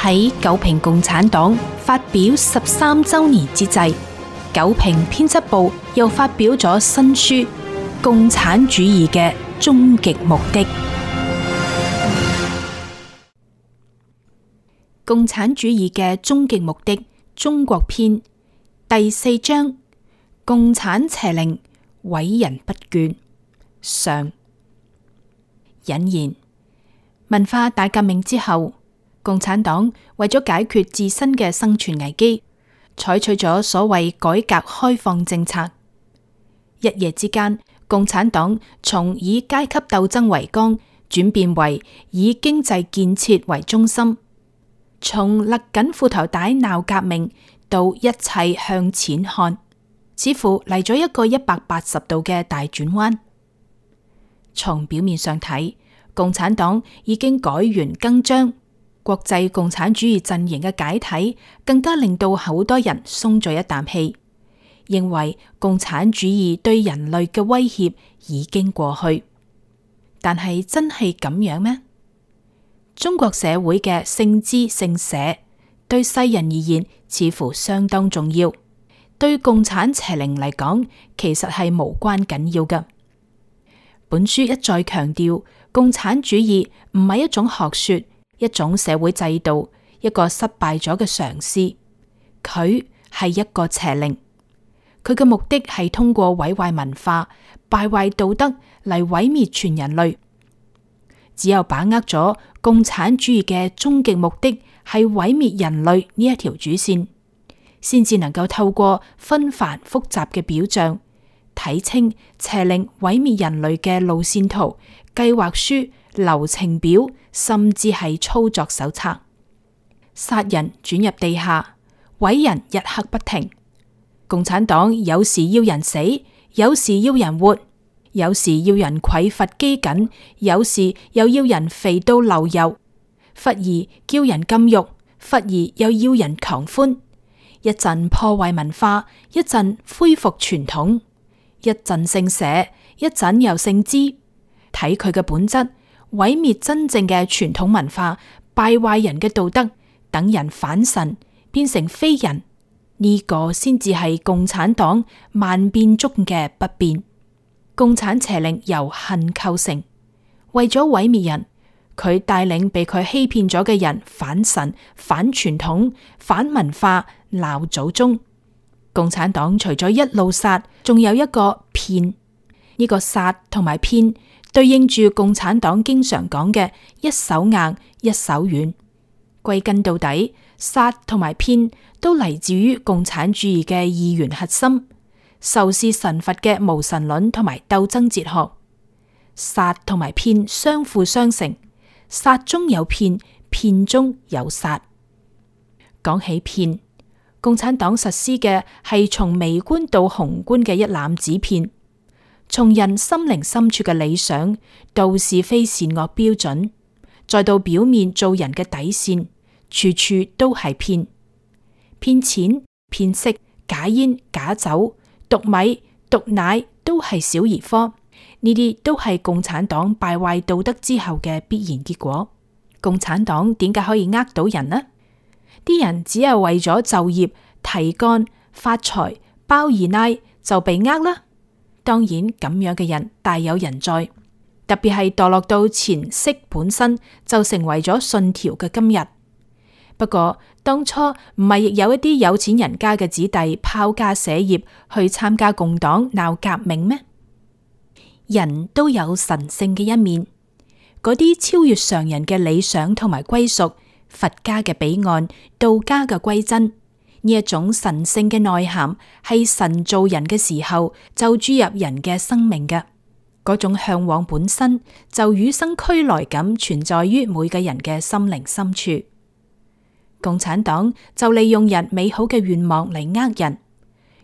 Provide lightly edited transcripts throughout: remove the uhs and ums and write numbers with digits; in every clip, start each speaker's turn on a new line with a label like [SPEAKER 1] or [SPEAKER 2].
[SPEAKER 1] 喺九評共產黨發表13週年之際，九評編輯部又發表咗新書《共產主義嘅終極目的》。共產主義嘅終極目的中國篇第4章：共產邪靈，偉人不倦。上。引言：文化大革命之後，共產黨為咗解決自身嘅生存危機，採取咗所謂改革開放政策。一夜之間，共產黨從以階級鬥爭為綱，轉變為以經濟建設為中心，從勒緊褲頭帶鬧革命到一切向錢看，似乎嚟咗一個180度嘅大轉彎。從表面上睇，共產黨已經改弦更張，國際共產主義陣營嘅解體更加令到好多人鬆咗一啖氣，認為共產主義對人類嘅威脅已經過去。但係真係咁樣咩？中國社會嘅姓資姓社對世人而言似乎相當重要，對共產邪靈嚟講其實係無關緊要嘅。本書一再強調，共產主義唔係一種學說，一種社會制度，一個失敗咗嘅嘗試，佢係一個邪靈。佢嘅目的係通過毀壞文化、敗壞道德嚟毀滅全人類。只有把握咗共產主義嘅終極目的係毀滅人類呢一條主線，先至能夠透過紛繁複雜嘅表象，睇清邪靈毀滅人類嘅路線圖、計劃書、流程表，甚至係操作手冊。殺人轉入地下，毀人日黑不停。共產黨有時要人死，有時要人活，有時要人匱乏飢饉，有時又要人肥到流油。忽而叫人禁欲，忽而又要人狂歡。一陣破壞文化，一陣恢復傳統。一陣姓社，一陣又姓資，睇佢嘅本質，毀滅真正嘅傳統文化，敗壞人嘅道德，等人反神，變成非人，呢個先至係共產黨萬變中嘅不變。共產邪靈由恨構成，為咗毀滅人，佢帶領被佢欺騙咗嘅人反神、反傳統、反文化、鬧祖宗。共產黨除咗一路殺，仲有一個騙。呢個殺同埋騙對應住共產黨經常講嘅一手硬一手軟。歸根到底，殺同埋騙都嚟自於共產主義嘅二元核心，仇視神佛嘅無神論同埋鬥爭哲學。殺同埋騙相輔相成，殺中有騙，騙中有殺。講起騙，共產黨實施嘅係從微觀到宏觀嘅一攬子騙，從人心靈深處嘅理想到是非善惡標準，再到表面做人嘅底線，處處都係騙。騙錢、騙色、假煙、假酒、毒米、毒奶都係小兒科，呢啲都係共產黨敗壞道德之後嘅必然結果。共產黨點解可以呃到人呢？啲人只係為咗就業、提幹、發財、包二奶就被呃啦。當然咁樣嘅人大有人在，特別係墮落到錢色本身就成為咗信條嘅今日。不過當初唔係亦有一啲有錢人家嘅子弟拋家捨業去參加共黨鬧革命咩？人都有神聖嘅一面，嗰啲超越常人嘅理想同埋歸屬，佛家嘅彼岸，道家嘅歸真，呢一種神聖嘅內涵係神造人嘅時候就注入人嘅生命嘅，嗰種向往本身就與生俱來咁存在於每個人嘅心靈深處。共產黨就利用人美好嘅願望嚟呃人，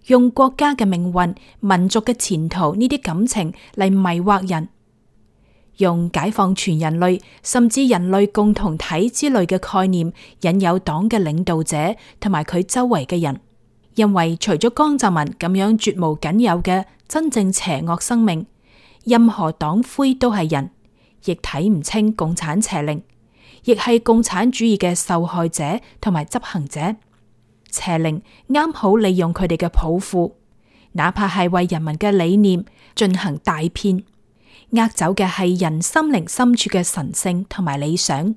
[SPEAKER 1] 用國家嘅命運、民族嘅前途呢啲感情嚟迷惑人，用解放全人類甚至人類共同體之類嘅概念引誘黨嘅領導者同埋佢周圍嘅人，因為除咗江澤民咁樣絕無僅有嘅真正邪惡生命，任何黨魁都係人，亦睇唔清共產邪靈，亦係共產主義嘅受害者同埋執行者。邪靈啱好利用佢哋嘅抱負，哪怕係為人民嘅理念進行大騙，呃走嘅係人心靈深處嘅神聖同埋理想，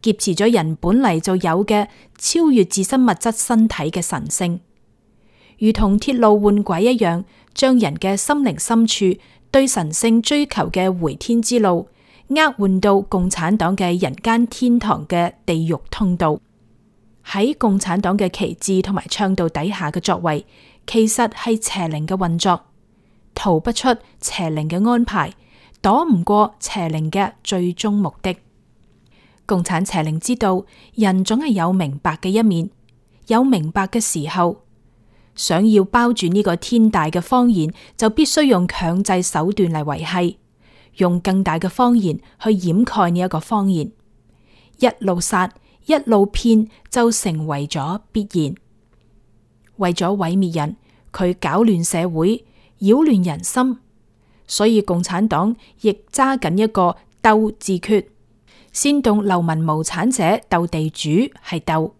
[SPEAKER 1] 劫持咗人本嚟就有嘅超越自身物質身體嘅神聖，如同鐵路換軌一樣，將人嘅心靈深處對神聖追求嘅回天之路，換到共產黨嘅人間天堂嘅地獄通道。喺共產黨嘅旗幟同埋倡導底下嘅作為，其實係邪靈嘅運作，逃不出邪靈嘅安排，躲唔過邪靈嘅最終目的。共產邪靈知道人總係有明白嘅一面，有明白嘅時候，想要包住呢個天大嘅謊言，就必須用強制手段嚟維繫，用更大嘅謊言去掩蓋呢一個謊言，一路殺一路騙，就成為咗必然。為咗毀滅人，佢搞亂社會，擾亂人心，所以共產黨亦揸緊一個鬥自決，煽動流民無產者鬥地主係鬥，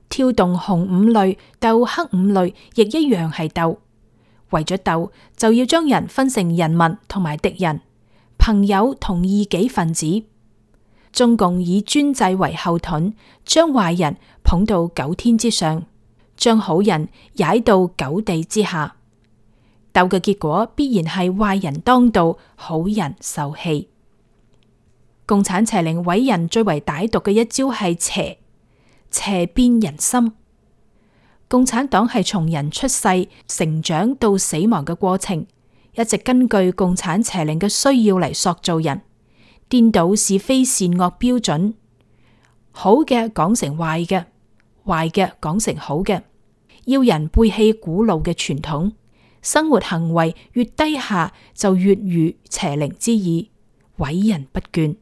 [SPEAKER 1] 挑動紅五類鬥黑五類亦一樣係鬥。為咗鬥，就要將人分成人民同埋敵人，朋友同異己分子。中共以專制為後盾，將壞人捧到九天之上，將好人踩到九地之下。鬥嘅結果必然係壞人當道，好人受氣。共產邪靈毀人最為歹毒嘅一招係邪，邪變人心。共產黨係從人出世、成長到死亡嘅過程，一直根據共產邪靈嘅需要嚟塑造人。顛倒是非善惡標準，好嘅講成壞嘅，壞嘅講成好嘅，要人背棄古老嘅傳統，生活行為越低下就越如邪靈之意，毀人不倦。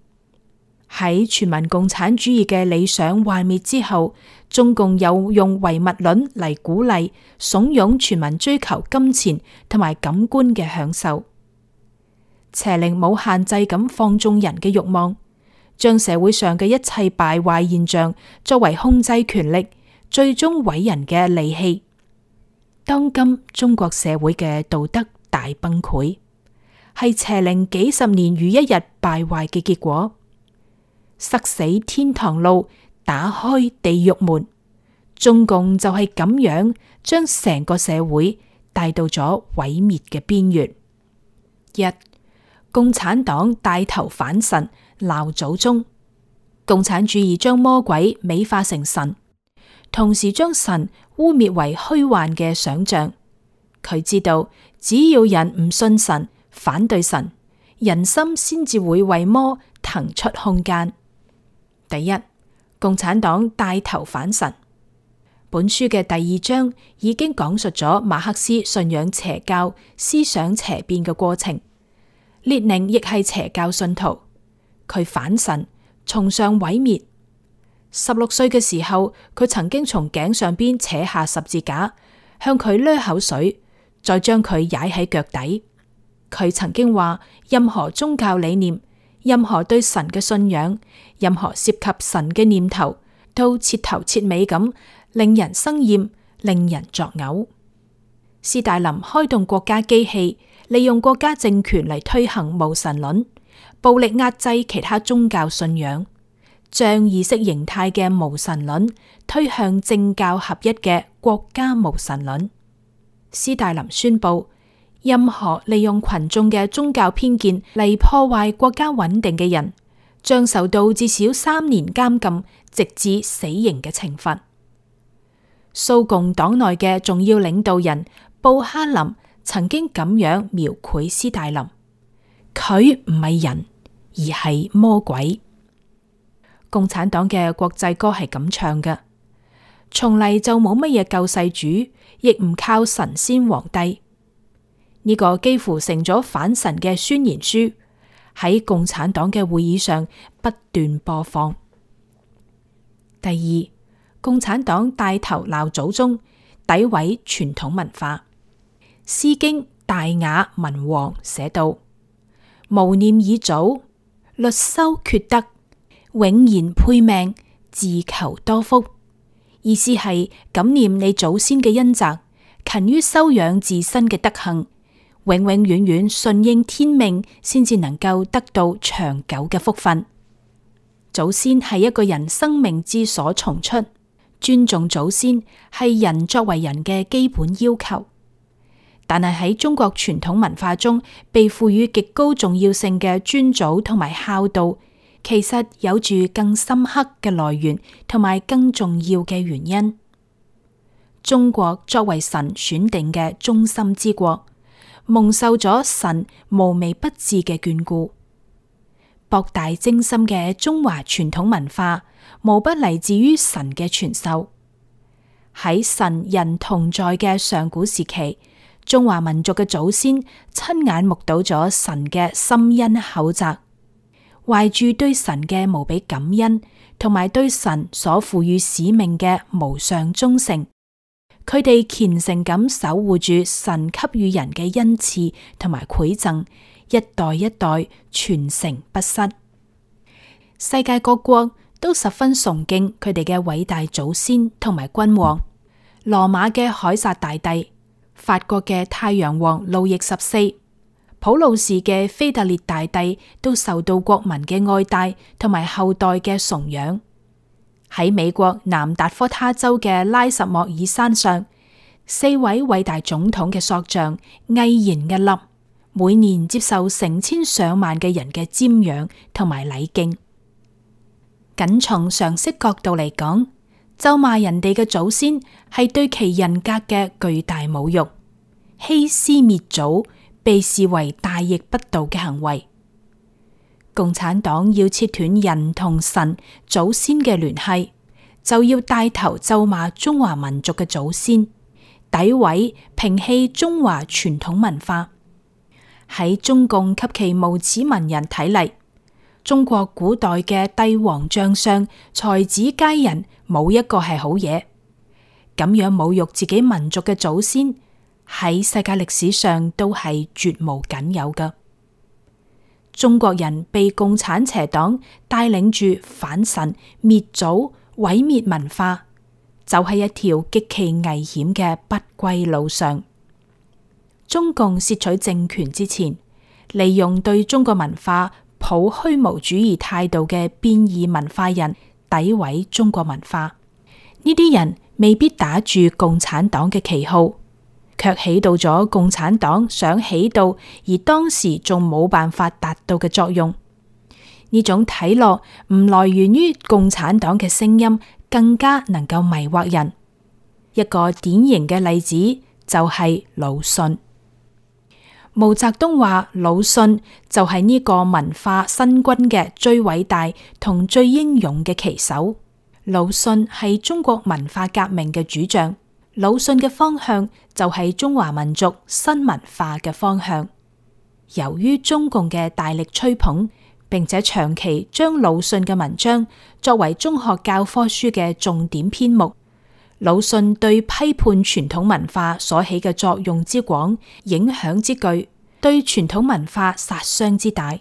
[SPEAKER 1] 喺全民共產主義嘅理想幻滅之後，中共又用唯物論嚟鼓勵、慫恿全民追求金錢同埋感官嘅享受。邪靈冇限制咁放縱人嘅慾望，將社會上嘅一切敗壞現象作為控制權力，最終毀人嘅利器。當今中國社會嘅道德大崩潰，係邪靈幾十年如一日敗壞嘅結果。塞死天堂路，打開地獄門，中共就係咁樣將成個社會帶到咗毀滅嘅邊緣。一、共產黨帶頭反神，鬧祖宗。共產主義將魔鬼美化成神，同時將神污衊為虛幻嘅想象。佢知道，只要人唔信神，反對神，人心先至會為魔騰出空間。第一，共產黨帶頭反神。本書嘅第二章已經講述咗馬克思信仰邪教、思想邪變嘅過程。列寧亦係邪教信徒，佢反神，崇尚毀滅。16歲嘅時候，佢曾經從頸上邊扯下十字架，向佢掠口水，再將佢踩喺腳底。佢曾經話：任何宗教理念，任何對神嘅信仰，任何涉及神嘅念頭，都徹頭徹尾咁令人生厭，令人作嘔。斯大林開動國家機器，利用國家政權嚟推行無神論，暴力壓制其他宗教信仰，將意識形態嘅無神論推向政教合一嘅國家無神論。斯大林宣布，任何利用群眾嘅宗教偏見嚟破壞國家穩定嘅人，將受到至少3年監禁，直至死刑嘅懲罰。蘇共黨內嘅重要領導人布哈林曾經咁樣描繪斯大林：佢唔係人，而係魔鬼。共產黨嘅國際歌係咁唱嘅：從嚟就冇乜嘢救世主，亦唔靠神仙皇帝。呢個幾乎成咗反神嘅宣言書，喺共產黨嘅會議上不斷播放。第二，共產黨帶頭鬧祖宗，詆毀傳統文化。《詩經·大雅·文王》寫道：無念以祖，律修厥德，永然配命，自求多福。意思係感念你祖先嘅恩澤，勤於修養自身嘅德行，永永遠遠順應天命，先至能夠得到長久嘅福分。祖先係一個人生命之所從出，尊重祖先係人作為人嘅基本要求。但係喺中國傳統文化中，被賦予極高重要性嘅尊祖同埋孝道，其實有住更深刻嘅來源同埋更重要嘅原因。中國作為神選定嘅忠心之國，蒙受咗神無微不至嘅眷顧。博大精深嘅中華傳統文化，無不嚟自於神嘅傳授。喺神人同在嘅上古時期，中華民族嘅祖先親眼目睹咗神嘅深恩厚澤，懷住對神嘅無比感恩，同埋對神所賦予使命嘅無上忠誠，佢哋虔誠咁守護住神給予人嘅恩賜同埋饋贈，一代一代傳承不失。世界各國都十分崇敬佢哋嘅偉大祖先同埋君王。羅馬嘅凱撒大帝，法國嘅太陽王路易14，普魯士嘅腓特烈大帝都受到國民嘅愛戴同埋後代嘅崇仰。喺美國南達科他州嘅拉什莫爾山上，4位偉大總統嘅塑像巍然屹立，每年接受成千上萬嘅人嘅瞻仰同埋禮敬。僅從常識角度嚟講，咒罵人哋嘅祖先係對其人格嘅巨大侮辱，欺師滅祖被視為大逆不道嘅行為。共產黨要切斷人同神祖先嘅聯繫，就要帶頭咒罵中華民族嘅祖先，詆毀摒棄中華傳統文化。喺中共及其無恥文人睇嚟，中國古代嘅帝王將相才子佳人冇一個係好嘢。咁樣侮辱自己民族嘅祖先，喺世界歷史上都係絕無僅有嘅。中國人被共產邪黨帶領住反神滅祖毀滅文化，就係一條極其危險嘅不歸路上。中共竊取政權之前，利用對中國文化抱虛無主義態度嘅變異文化人詆毀中國文化。呢啲人未必打住共產黨嘅旗號，卻起到咗共產黨想起到而當時仲冇辦法達到嘅作用。呢種睇落唔來源於共產黨嘅聲音，更加能夠迷惑人。一個典型嘅例子就係魯迅。毛澤東話魯迅就係呢個文化新軍嘅最偉大同最英勇嘅旗手。魯迅係中國文化革命嘅主將，魯迅嘅方向就係中華民族新文化嘅方向。由於中共嘅大力吹捧，並且長期將魯迅嘅文章作為中學教科書嘅重點篇目，魯迅對批判傳統文化所起嘅作用之廣、影響之巨，對傳統文化殺傷之大，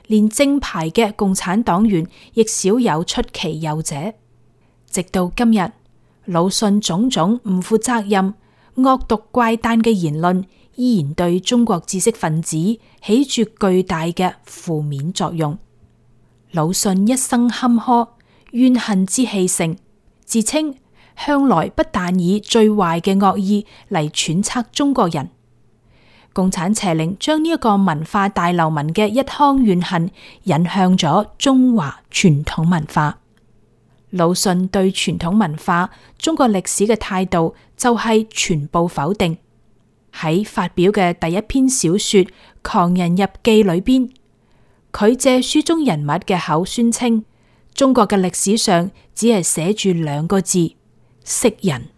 [SPEAKER 1] 連正牌嘅共產黨員亦少有出其右者。直到今日，魯迅種種唔負責任、惡毒怪誕嘅言論，依然對中國知識分子起住巨大嘅負面作用。魯迅一生坎坷，怨恨之氣盛，自稱向來不但以最壞嘅惡意嚟揣測中國人。共產邪靈將呢一個文化大流民嘅一腔怨恨引向咗中華傳統文化。魯迅對傳統文化、中國歷史嘅態度就係全部否定。喺發表嘅第一篇小說《狂人日記》裏邊，佢借書中人物嘅口宣稱，中國嘅歷史上只係寫住2個字：識人。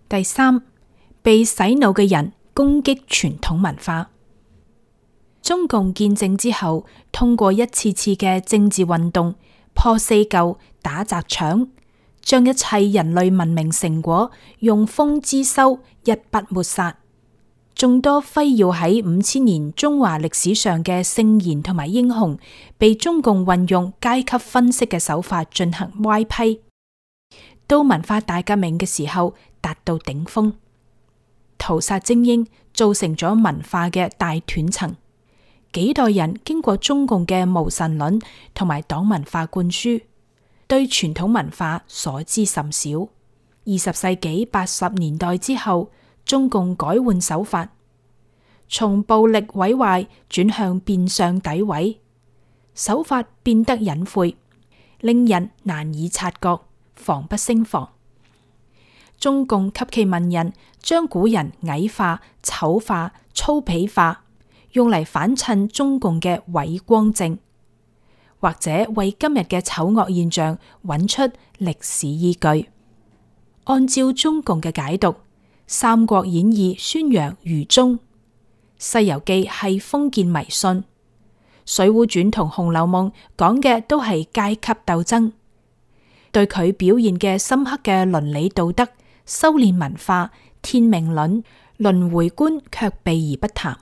[SPEAKER 1] 第三，被洗腦嘅人攻擊傳統文化。中共建政之後，通過一次次嘅政治運動，破四舊、打砸搶，將一切人類文明成果用封資修，一筆抹殺。眾多輝耀喺5000年中華歷史上嘅聖賢同埋英雄，被中共運用階級分析嘅手法進行歪批。到文化大革命嘅時候達到頂峰，屠殺精英，造成咗文化嘅大斷層。幾代人經過中共嘅無神論同埋黨文化灌輸，對傳統文化所知甚少。20世紀80年代之後，中共改換手法，從暴力毀壞轉向變相詆毀，手法變得隱晦，令人難以察覺，防不勝防。中共及其文人將古人矮化、醜化、粗鄙化，用嚟反襯中共嘅偉光正，或者為今日嘅醜惡現象揾出歷史依據。按照中共嘅解讀，《三國演義》宣揚愚忠，《西遊記》係封建迷信，《水滸傳》同《紅樓夢》講嘅都係階級鬥爭。對佢表現嘅深刻嘅倫理道德、修煉文化、天命論、輪迴觀卻避而不談。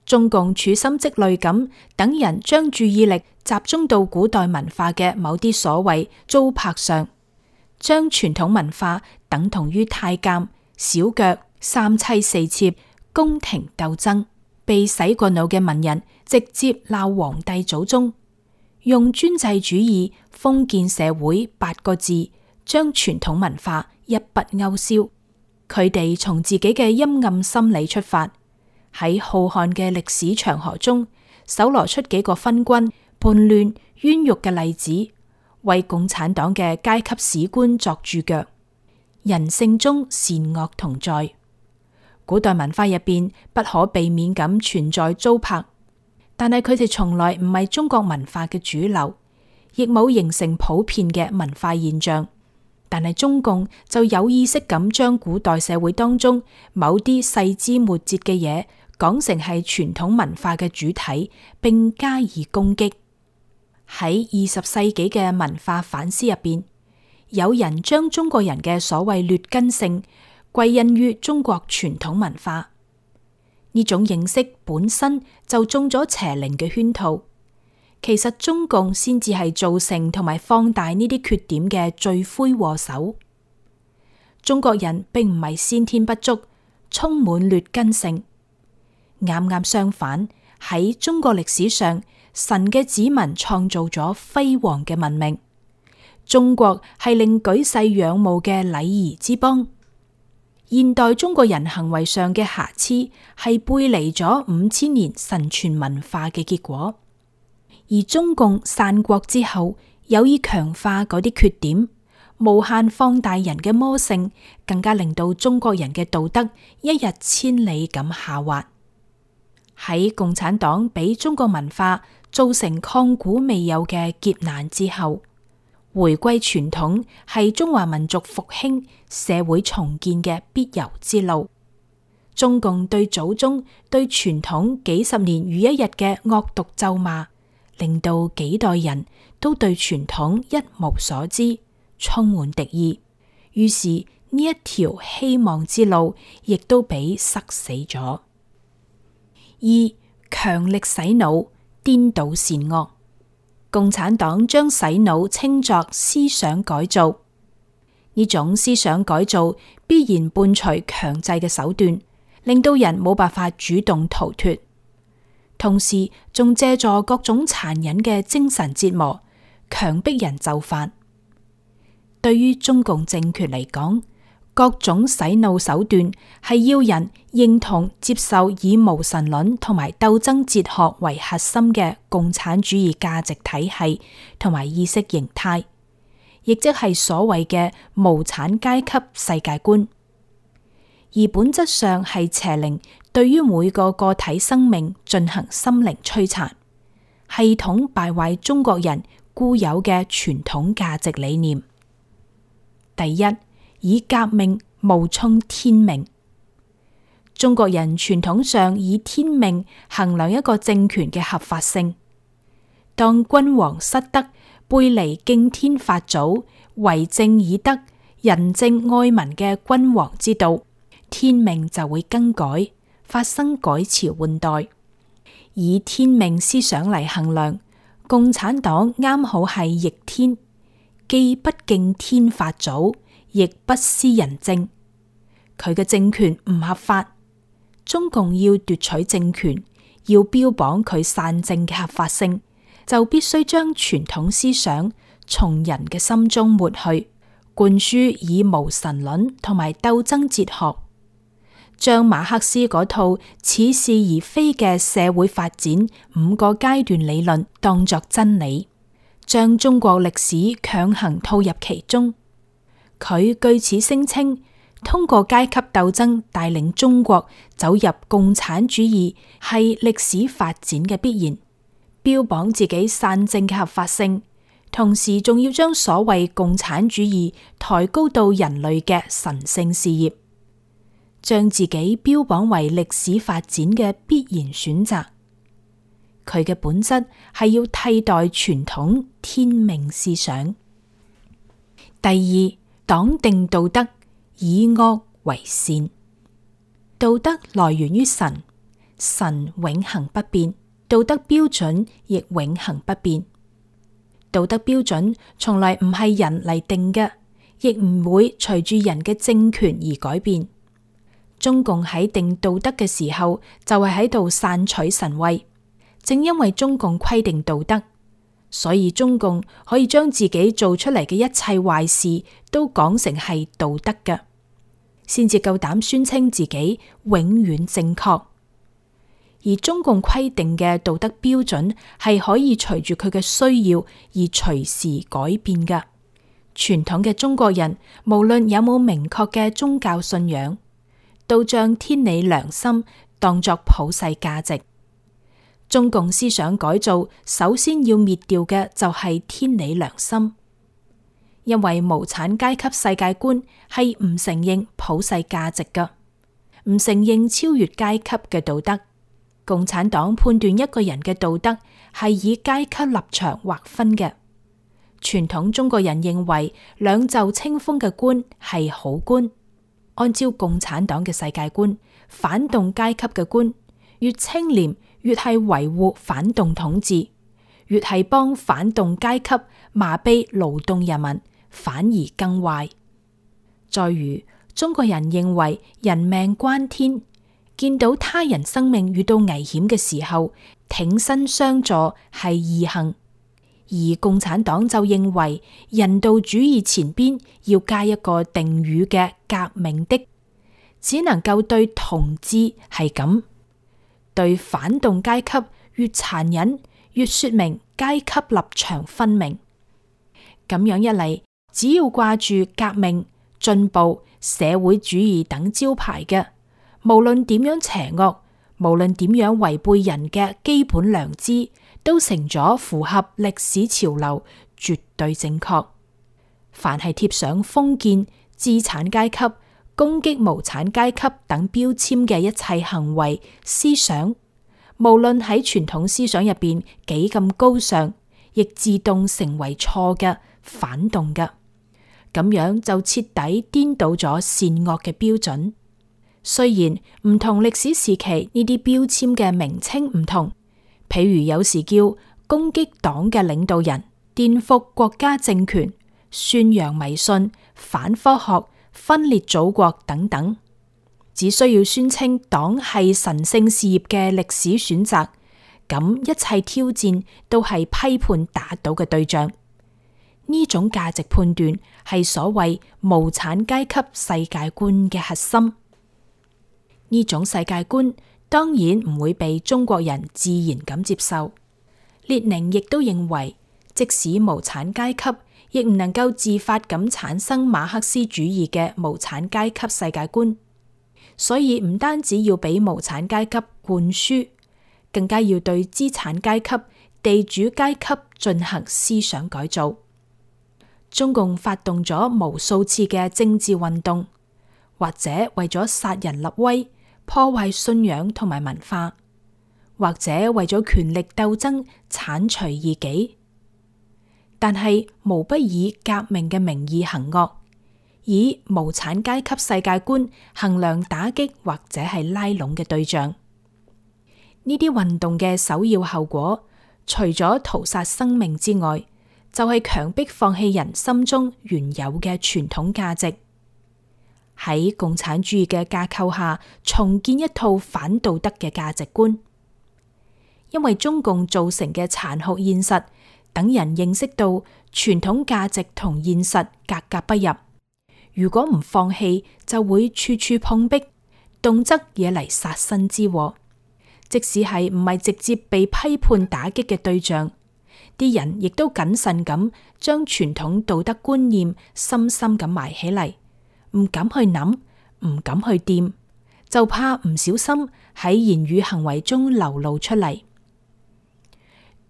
[SPEAKER 1] 中共處心積慮咁等人將注意力集中到古代文化嘅某啲所謂糟粕上，將傳統文化等同於太監、小腳、三妻四妾、宮廷鬥爭。被洗過腦嘅文人直接鬧皇帝祖宗，用專制主義、封建社會8個字將傳統文化一筆勾銷。佢哋從自己嘅陰暗心理出發，喺浩瀚嘅歷史長河中搜羅出幾個昏君、叛亂、冤獄嘅例子，為共產黨嘅階級史觀作注腳。人性中善惡同在，古代文化入邊不可避免咁存在糟粕，但係佢哋從來唔係中國文化嘅主流，亦冇形成普遍嘅文化現象。但係中共就有意識咁將古代社會當中某啲細枝末節嘅嘢講成係傳統文化嘅主體，並加以攻擊。喺20世紀嘅文化反思入邊，有人將中國人嘅所謂劣根性歸因於中國傳統文化，呢種認識本身就中咗邪靈嘅圈套。其實中共先至係造成同埋放大呢啲缺點嘅罪魁禍首。中國人並唔係先天不足，充滿劣根性。啱啱相反，喺中國歷史上，神嘅子民創造咗輝煌嘅文明。中國係令舉世仰慕嘅禮儀之邦。現代中國人行為上嘅瑕疵係背離咗5000年神傳文化嘅結果。而中共散國之後，有意強化嗰啲缺點，無限放大人嘅魔性，更加令到中國人嘅道德一日千里咁下滑。喺共產黨俾中國文化造成抗古未有嘅劫難之後，回歸傳統係中華民族復興、社會重建嘅必由之路。中共對祖宗、對傳統幾十年如一日嘅惡毒咒罵，令到幾代人都對傳統一無所知，充滿敵意。於是呢一條希望之路亦都俾塞死咗。2. 強力洗腦，顛倒善惡。共產黨將洗腦稱作思想改造，呢種思想改造必然伴隨強制嘅手段，令到人冇辦法主動逃脫。同時仲借助各種殘忍嘅精神折磨，強迫人就範。對於中共政權嚟講，各種洗腦手段係要人認同接受以無神論同埋鬥爭哲學為核心嘅共產主義價值體系同埋意識形態，亦即係所謂嘅無產階級世界觀。而本質上係邪靈對於每個個體生命進行心靈摧殘，系統敗壞中國人固有嘅傳統價值理念。第一，以革命冒充天命。中國人傳統上以天命衡量一個政權嘅合法性。當君王失德，背離敬天法祖、為政以德、仁政愛民嘅君王之道，天命就會更改，發生改朝換代。以天命思想嚟衡量，共產黨啱好係逆天，既不敬天法祖，亦不思仁政。佢嘅政權唔合法，中共要奪取政權，要標榜佢散政嘅合法性，就必須將傳統思想從人嘅心中抹去，灌輸以無神論同埋鬥爭哲學，將馬克思嗰套似是而非嘅社會發展5個階段理論當作真理，將中國歷史強行套入其中。佢據此聲稱，通過階級鬥爭帶領中國走入共產主義係歷史發展嘅必然，標榜自己散政嘅合法性，同時仲要將所謂共產主義抬高到人類嘅神聖事業，將自己標榜為歷史發展嘅必然選擇。佢嘅本質係要替代傳統天命思想。第二，黨定道德，以惡為善。道德來源於神，神永恆不變，道德標準亦永恆不變。道德標準從來唔係人嚟定嘅，亦唔會隨住人嘅政權而改變。中共喺定道德嘅時候，就係喺度篡取神位。正因為中共規定道德，所以中共可以將自己做出嚟嘅一切壞事都講成係道德嘅，先至夠膽宣稱自己永遠正確。而中共規定嘅道德標準係可以隨住佢嘅需要而隨時改變嘅。傳統嘅中國人無論有冇明確嘅宗教信仰，都將天理良心當作普世價值。中共思想改造首先要滅掉嘅就係天理良心，因為無產階級世界觀係唔承認普世價值嘅，唔承認超越階級嘅道德。共產黨判斷一個人嘅道德係以階級立場劃分嘅。傳統中國人認為兩袖清風嘅官係好官，按照共產黨嘅世界觀，反動階級嘅官越清廉，越係維護反動統治，越係幫反動階級麻痹勞動人民，反而更壞。再如，中國人認為人命關天，見到他人生命遇到危險嘅時候，挺身相助係義行；而共產黨就認為人道主義前邊要加一個定語嘅革命的，只能夠對同志係咁。對反動階級越殘忍，越說明階級立場分明。咁樣一嚟，只要掛住革命、進步、社會主義等招牌嘅，無論點樣邪惡，無論點樣違背人嘅基本良知，都成咗符合歷史潮流，絕對正確。凡係貼上封建、資產階級、攻擊無產階級等標籤嘅一切行為思想，無論喺傳統思想入邊幾咁高尚，亦自動成為錯嘅、反動嘅。咁樣就徹底顛倒咗善惡嘅標準。雖然唔同歷史時期呢啲標籤嘅名稱唔同，譬如有時叫攻擊黨嘅領導人、顛覆國家政權、宣揚迷信、反科學、分裂祖國等等，只需要宣稱黨係神聖事業嘅歷史選擇，咁一切挑戰都係批判打倒嘅對象。呢種價值判斷係所謂無產階級世界觀嘅核心。呢種世界觀當然唔會被中國人自然咁接受。列寧亦都認為，即使無產階級，亦唔能夠自發咁產生馬克思主義嘅無產階級世界觀，所以唔單止要俾無產階級灌輸，更加要對資產階級、地主階級進行思想改造。中共發動咗無數次嘅政治運動，或者為咗殺人立威、破壞信仰同埋文化，或者為咗權力鬥爭剷除異己。但係無不以革命嘅名義行惡，以無產階級世界觀衡量打擊或者係拉攏嘅對象。呢啲運動嘅首要後果，除咗屠殺生命之外，就係強迫放棄人心中原有嘅傳統價值，喺共產主義嘅架構下重建一套反道德嘅價值觀。因為中共造成嘅殘酷現實，等人認識到傳統價值同現實格格不入。如果唔放棄，就會處處碰壁，動則惹嚟殺身之禍。即使係唔係直接被批判打擊嘅對象，啲人亦都謹慎咁將傳統道德觀念深深咁埋起嚟，唔敢去諗，唔敢去掂，就怕唔小心喺言語行為中流露出嚟。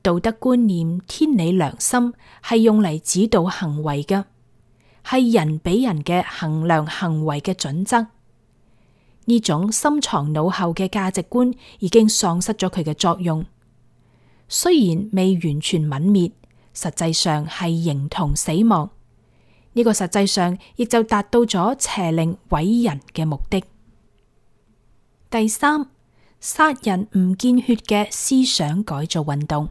[SPEAKER 1] 道德觀念、天理良心係用嚟指導行為嘅，係人俾人嘅衡量行為嘅準則。呢種深藏腦後嘅價值觀已經喪失咗佢嘅作用，雖然未完全泯滅，實際上係形同死亡。呢個實際上亦就達到咗邪靈毀人嘅目的。第三，殺人唔見血嘅思想改造運動。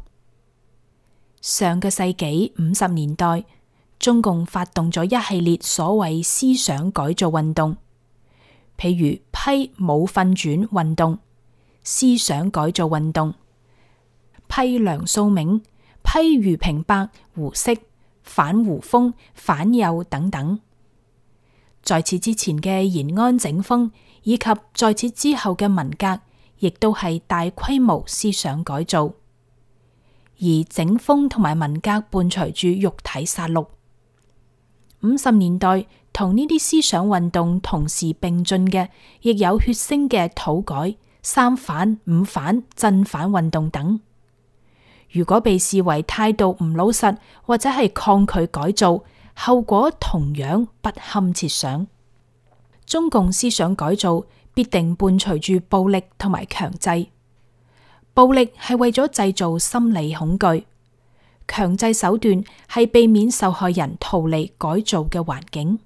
[SPEAKER 1] 上個世紀50年代，中共發動咗一系列所謂思想改造運動，譬如批武訓轉運動、思想改造運動、批梁漱溟、批俞平伯、胡適、反胡風、反右等等。在此之前嘅延安整風，以及在此之後嘅文革，亦都係大規模思想改造。而整風同埋文革伴隨住肉體殺戮。50年代同呢啲思想運動同時並進嘅，亦有血腥嘅土改、三反、五反、鎮反運動等。如果被視為態度唔老實或者係抗拒改造，後果同樣不堪設想。中共思想改造必定伴隨住暴力同埋強制。暴力係為咗製造心理恐懼，強制手段係避免受害人逃離改造嘅環境。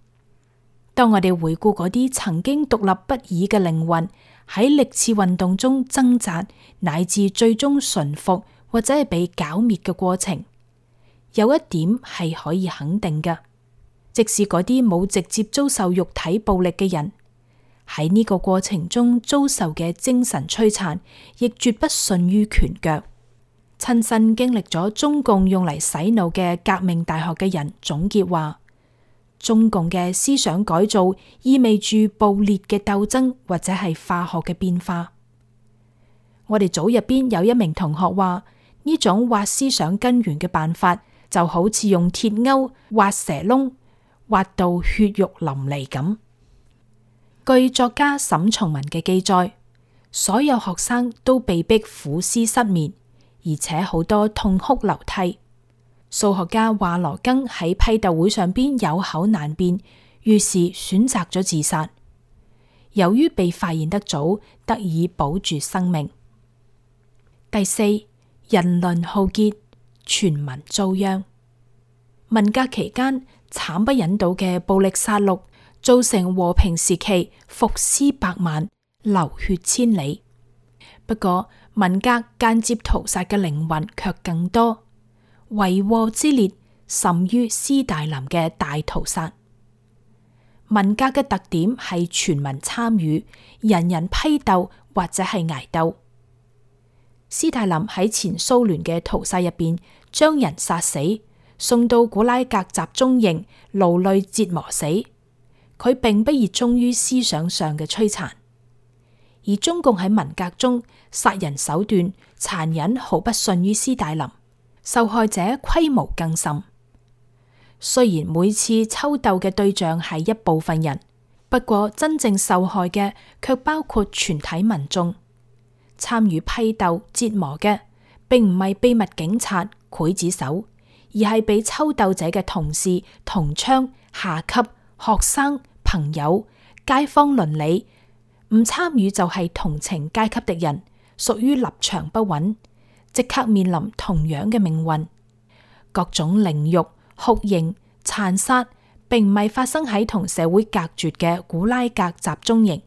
[SPEAKER 1] 當我哋回顧嗰啲曾經獨立不已嘅靈魂喺歷次運動中掙扎，乃至最終馴服或者係被剿滅嘅過程，有一點係可以肯定嘅，即使嗰啲冇直接遭受肉體暴力嘅人，喺呢個過程中遭受嘅精神摧殘，亦絕不遜於拳腳。親身經歷咗中共用嚟洗腦嘅革命大學嘅人總結話，中共嘅思想改造意味住暴烈嘅鬥爭或者係化學嘅變化。我哋組入邊有一名同學話，呢種挖思想根源嘅辦法，就好似用鐵鈎挖蛇窿，挖到血肉淋漓咁。據作家沈從文嘅記載，所有學生都被逼苦思失眠，而且好多痛哭流涕。數學家華羅庚喺批鬥會上邊有口難辯，於是選擇咗自殺。由於被發現得早，得以保住生命。第四，人倫浩劫，全民遭殃。文革期間慘不忍睹嘅暴力殺戮，造成和平時期伏屍百萬，流血千里。不過文革間接屠殺嘅靈魂卻更多，為禍之烈甚於斯大林嘅大屠殺。文革嘅特點係全民參與，人人批鬥或者係挨鬥。斯大林喺前蘇聯嘅屠殺入邊，將人殺死，送到古拉格集中營勞累折磨死。佢並不熱衷於思想上嘅摧殘，而中共喺文革中殺人手段殘忍，毫不遜於斯大林，受害者規模更甚。雖然每次抽鬥嘅對象係一部分人，不過真正受害嘅卻包括全體民眾。參與批鬥折磨嘅，並唔係秘密警察、劊子手，而係被抽鬥者嘅同事、同窗、下級、學生、朋友、街坊鄰里。唔參與就係同情階級敵人，屬於立場不穩，即刻面臨同樣嘅命運。各種凌辱、酷刑、殘殺，並唔係發生喺同社會隔絕嘅古拉格集中營，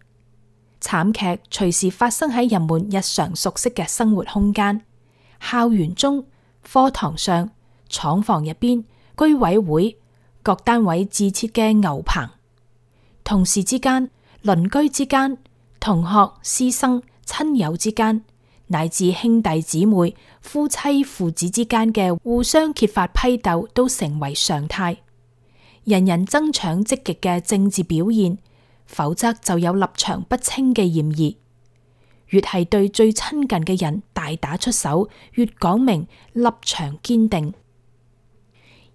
[SPEAKER 1] 慘劇隨時發生喺人們日常熟悉嘅生活空間、校園中、課堂上、廠房入邊、居委會、各單位自設嘅牛棚、同事之間、鄰居之間、同學、師生、親友之間，乃至兄弟姊妹、夫妻、父子之間嘅互相揭發批鬥都成為常態。人人爭搶積極嘅政治表現，否則就有立場不清嘅嫌疑。越係對最親近嘅人大打出手，越講明立場堅定。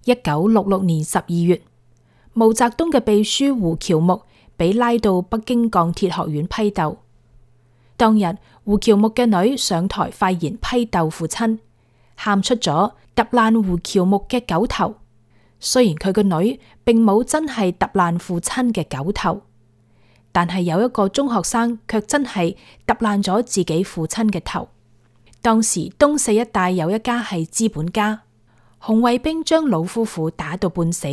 [SPEAKER 1] 1966年12月，毛澤東嘅秘書胡喬木被拉到北京鋼鐵學院批鬥。當日，胡喬木嘅女上台發言批鬥父親，喊出咗揼爛胡喬木嘅狗頭。雖然佢個女並冇真係揼爛父親嘅狗頭，但係有一個中學生卻真係揼爛咗自己父親嘅頭。當時東四一帶有一家係資本家，紅衛兵將老夫婦打到半死，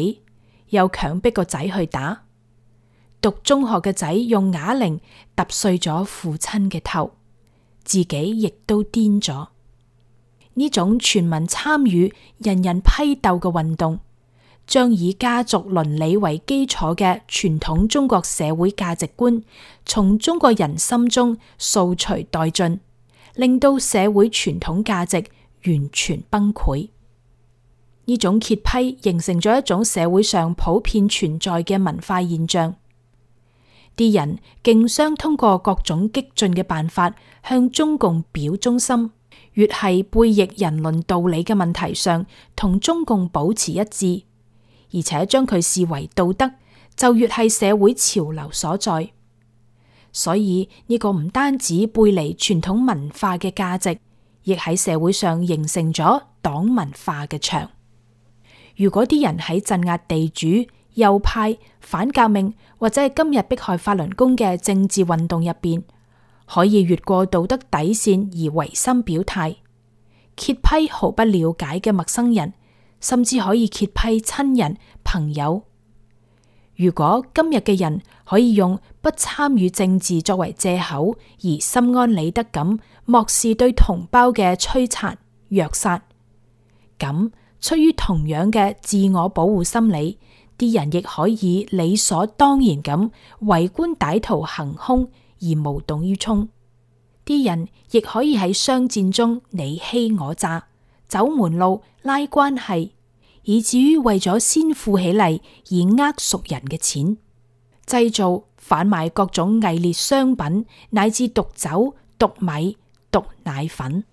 [SPEAKER 1] 又強迫個仔去打。讀中學嘅仔用啞鈴揼碎咗父親嘅頭，自己亦都癲咗。呢種全民參與、人人批鬥嘅運動，將以家族倫理為基礎嘅傳統中國社會價值觀從中國人心中掃除殆盡，令到社會傳統價值完全崩潰。呢種揭批形成咗一種社會上普遍存在嘅文化現象。啲人競相通過各種激進嘅辦法向中共表忠心，越係背逆人倫道理嘅問題上同中共保持一致，而且將佢視為道德，就越係社會潮流所在。所以呢個唔單止背離傳統文化嘅價值，亦喺社會上形成咗黨文化嘅牆。如果啲人喺鎮壓地主、右派、反革命或者係今日迫害法輪功嘅政治運動入邊，可以越過道德底線而違心表態，揭批毫不了解嘅陌生人，甚至可以揭批親人、朋友。如果今日嘅人可以用不參與政治作為借口，而心安理得咁漠視對同胞嘅摧殘、虐殺，咁出於同樣嘅自我保護心理，啲人亦可以理所當然咁圍觀歹徒行兇而無動於衷。啲人亦可以喺商戰中你欺我詐、走門路、拉關係，以至於為咗先富起嚟而呃熟人嘅錢，製造販賣各種偽劣商品，乃至毒酒、毒米、毒奶粉。